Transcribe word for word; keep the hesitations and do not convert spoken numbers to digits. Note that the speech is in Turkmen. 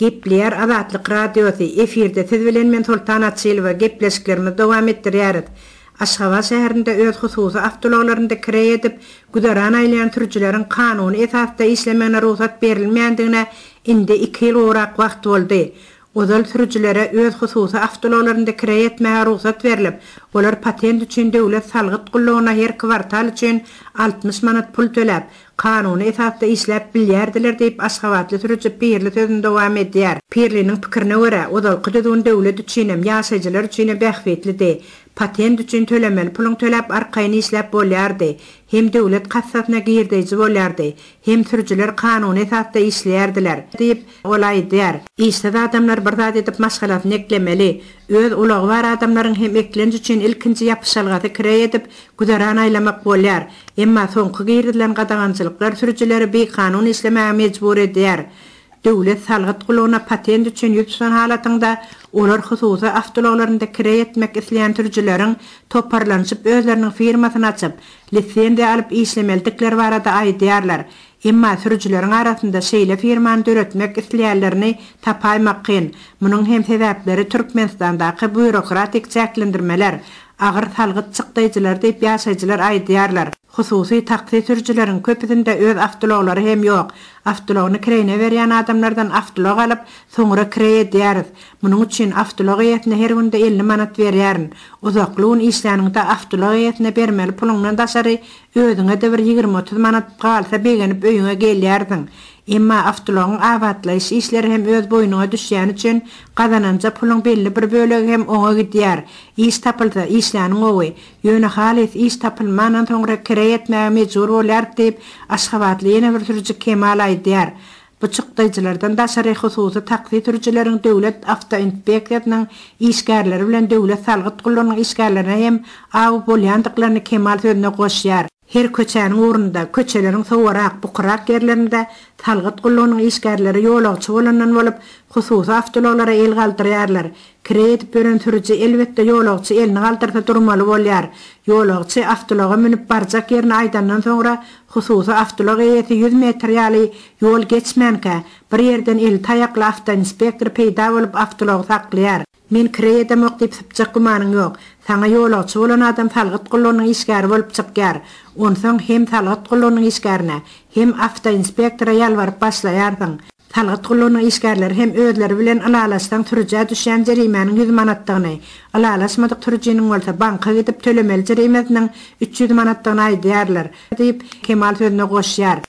Gepleýär Azatlyk Radiosy, efirde siz bilen men Soltan Açylowa gepleşiklerimizi dowam etdirýäris. Aşgabat şäherinde öz hususy awtoulaglarynda kireý edip, güzeran aýlaýan sürüjileriň kanuny esasda işlemegine rugsat berilmeýändigine indi iki ýyl gowrak wagt boldy. Ozal sürüjilere öz hususy awtoulaglarynda kireý etmäge rugsat berlip, olar patent üçin döwlet salgyt gullugyna her kwartal üçin altmyş manat pul töläp, kanuny esasda işläp bilýärdiler diýip, aşgabatly sürüji Pirli sözüni dowam edýär. Pirliniň pikirine görä, ozalky düzgün döwlet üçinem, ýaşaýjylar üçinem bähbitlidi. Patent üçin tölemeli puluň töläp arkaýyn işläp bolýardy. Hem döwlet kassasyna girdeýji bolýardy, hem sürüjiler kanuny esasda işleýärdiler diýip, ol aýdýar. Işsiz adamlar bir zat edip maşgalasyny eklemeli. Öz ulagy bar adamlaryň hem eklenç üçin ilkinji ýapyşalgasy kireý edip, güzeran aýlamak bolýar. Emma soňky girizilen gadagançylyklar sürüjileri bikanun işlemäge mejbur edýär. Döwlet salgyt gullugyna patent üçin ýüz tutan halatynda olar hususy awtoulaglarynda kireý etmek isleýän sürüjileriň toparlanyşyp özleriniň firmasyny açyp, lisenziýa alyp işlemelidikleri barada aýdýarlar. Emma sürüjileriň arasynda şeýle firmany döretmek isleýänlerini tapaýmak kyn. Munuň hem sebäpleri Türkmenistandaky býurokratik çäklendirmeler, agyr salgyt çykdaýjylary diýip ýaşaýjylar aýdýarlar. Hususy taksi sürüjileriň köpüsinde öz awtoulaglary hem ýok. Awtoulagyny kireýine berýän adamlardan awtoulag alyp, soňra kireý edýäris. Munuň üçin awtoulag eýesine her günde elli manat berýärin. Uzakly gün işläniňde awtoulag eýesine bermeli puluňdan daşary özüňe-de bir ýigrimi-otuz manat galsa begenip öýüňe gelýärsiň. Emma awtoulagyň abatlaýyş işleri hem öz boýnuňa düşýäni üçin gazananja puluň belli bir bölegi hem oňa gidýär. Iş tapylsa işläniň gowy. Ýöne halys iş tapylmandan soňra kireý etmäge mejbur bolýar diýip, Aşgabatly ýene bir sürüji Kemal aýdýar. Bu çykdaýjylardan daşary hususy taksi sürüjileriň döwlet awtoinspeksiýasynyň işgärleri bilen döwlet salgyt gullugynyň işgärlerine hem aw bolýandyklaryny Kemal sözüne goşýar. Her köçäniň ugrunda, köçeleriň sowarak, bukurak ýerlerinde salgyt gullugynyň işgärleri ýolagçy bolandan bolup, hususy awtoulaglara el galdyrýarlar. Kireý edip ýören sürüji elbetde ýolagçy elini galdyrsa durmaly bolýar. Ýolagçy awtoulaga münüp barjak ýerini aýdandan soňra hususy awtoulag eýesi ýüz metr ýaly ýol geçmänkä, bir ýerden eli taýakly awtoinspektor peýda bolup awtoulagy saklaýar. Men kireý edemok diýip sypjak gümanyň ýok. Saňa ýolagçy bolan adam salgyt gullugynyň işgäri bolup çykýar. Onsoň hem salgyt gullugynyň işgärine, hem awtoinspektora ýalbaryp başlaýarsyň. Salgyt gullugynyň işgärleri hem özleri bilen ylalaşsaň sürüjä düşýän jerimäniň ýüz manatdygyny, ylalaşmadyk sürüjiniň bolsa banka gidip tölemeli jerimesiniň üç ýüz manatdygyny aýdýarlar diýip, Kemal sözüne goşýar.